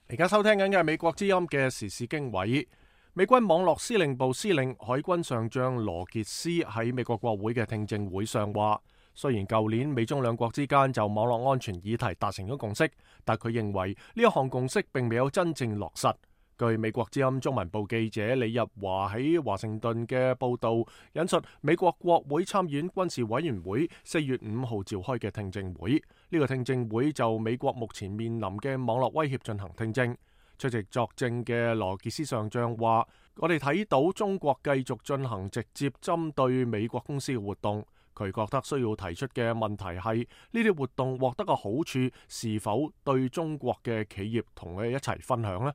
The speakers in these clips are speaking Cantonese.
而家收聽緊嘅係美國之音嘅時事經緯。美軍網絡司令部司令海軍上將羅傑斯喺美國國會嘅聽證會上話，雖然舊年美中兩國之間就網絡安全議題達成咗共識，但佢認為呢一項共識並未有真正落實。據美國之音中文部記者李日華喺華盛頓嘅報道，引述美國國會參議院軍事委員會4月5號召開嘅聽證會，呢個聽證會就美國目前面臨嘅網絡威脅進行聽證。出席作證嘅羅傑斯上將話：我哋睇到中國繼續進行直接針對美國公司嘅活動，佢覺得需要提出嘅問題係呢啲活動獲得嘅好處是否對中國嘅企業同佢一齊分享呢？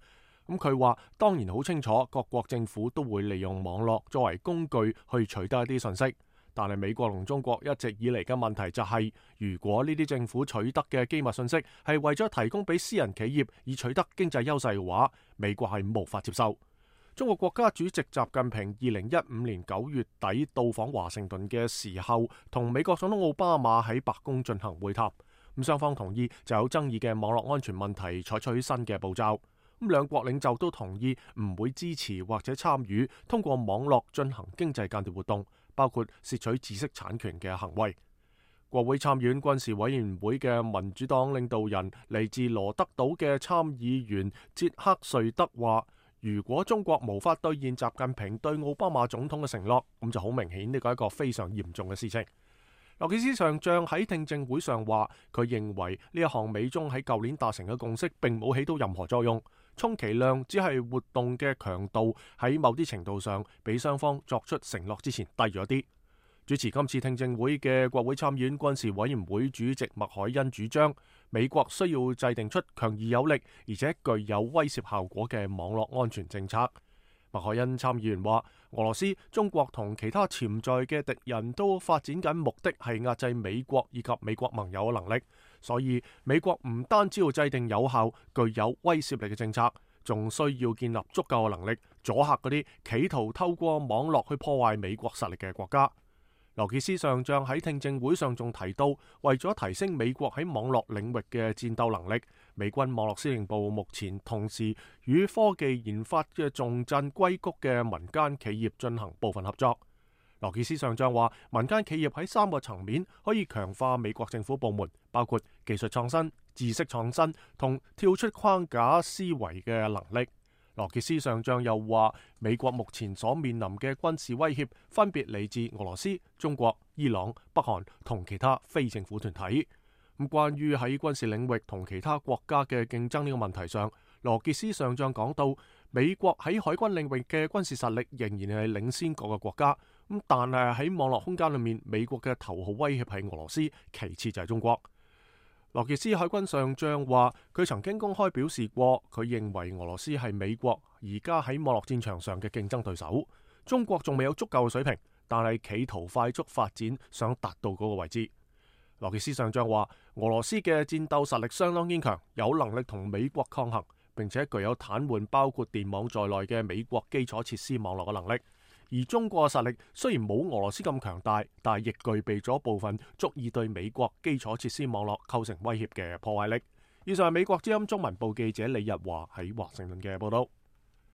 咁佢話當然好清楚，各國政府都會利用網絡作為工具去取得一啲信息，但係美國同中國一直以嚟嘅問題就係，如果呢啲政府取得嘅機密信息係為咗提供俾私人企業以取得經濟優勢嘅話，美國係無法接受。中國國家主席習近平2015年9月底到訪華盛頓嘅時候，同美國總統奧巴馬喺白宮進行會談，咁雙方同意就有爭議嘅網絡安全問題採取新嘅步驟。咁兩國領袖都同意唔會支持或者參與通過網絡進行經濟間諜活動，包括竊取知識產權嘅行為。國會參議院軍事委員會嘅民主黨領導人嚟自羅德島嘅參議員傑克瑞德話：如果中國無法兌現習近平對奧巴馬總統嘅承諾，咁就好明顯呢個係一個非常嚴重嘅事情。羅傑斯上將喺聽證會上話，佢認為呢一項美中喺舊年達成嘅共識並冇起到任何作用，充其量只係活動嘅強度喺某啲程度上比雙方作出承諾之前低咗啲。主持今次聽證會嘅國會參議院軍事委員會主席麥凱恩主張，美國需要制定出強而有力而且具有威懾效果嘅網絡安全政策。麥凱恩參議員話：俄羅斯、中國同其他潛在嘅敵人都發展緊目的係壓制美國以及美國盟友嘅能力，所以美國唔單止要制定有效、具有威懾力嘅政策，仲需要建立足夠嘅能力阻嚇嗰啲企圖透過網絡去破壞美國實力嘅國家。羅傑斯上將喺聽證會上仲提到，為咗提升美國喺網絡領域嘅戰鬥能力，美軍網絡司令部目前同時與科技研發嘅重鎮硅谷嘅民間企業進行部分合作。羅傑斯上將話，民間企業喺3個層面可以強化美國政府部門，包括技術創新、知識創新同跳出框架思維嘅能力。羅傑斯上將又話，美國目前所面臨嘅軍事威脅分別嚟自俄羅斯、中國、伊朗、北韓同其他非政府團體。咁關於喺軍事領域同其他國家嘅競爭呢個問題上，羅傑斯上將講到，美國喺海軍領域嘅軍事實力仍然係領先各個國家。咁但係喺網絡空間裏面，美國嘅頭號威脅係俄羅斯，其次就係中國。羅傑斯海軍上將話，佢曾經公開表示過，佢認為俄羅斯係美國而家喺網絡戰場上嘅競爭對手。中國仲未有足夠嘅水平，但係企圖快速發展，想達到嗰個位置。羅傑斯上將話，俄羅斯嘅戰鬥實力相當堅強，有能力同美國抗衡，並且具有癱瘓包括電網在內嘅美國基礎設施網絡嘅能力。而中國嘅實力雖然冇俄羅斯咁強大，但係亦具備咗部分足以對美國基礎設施網絡構成威脅嘅破壞力。以上係美國之音中文部記者李日華喺華盛頓嘅報道。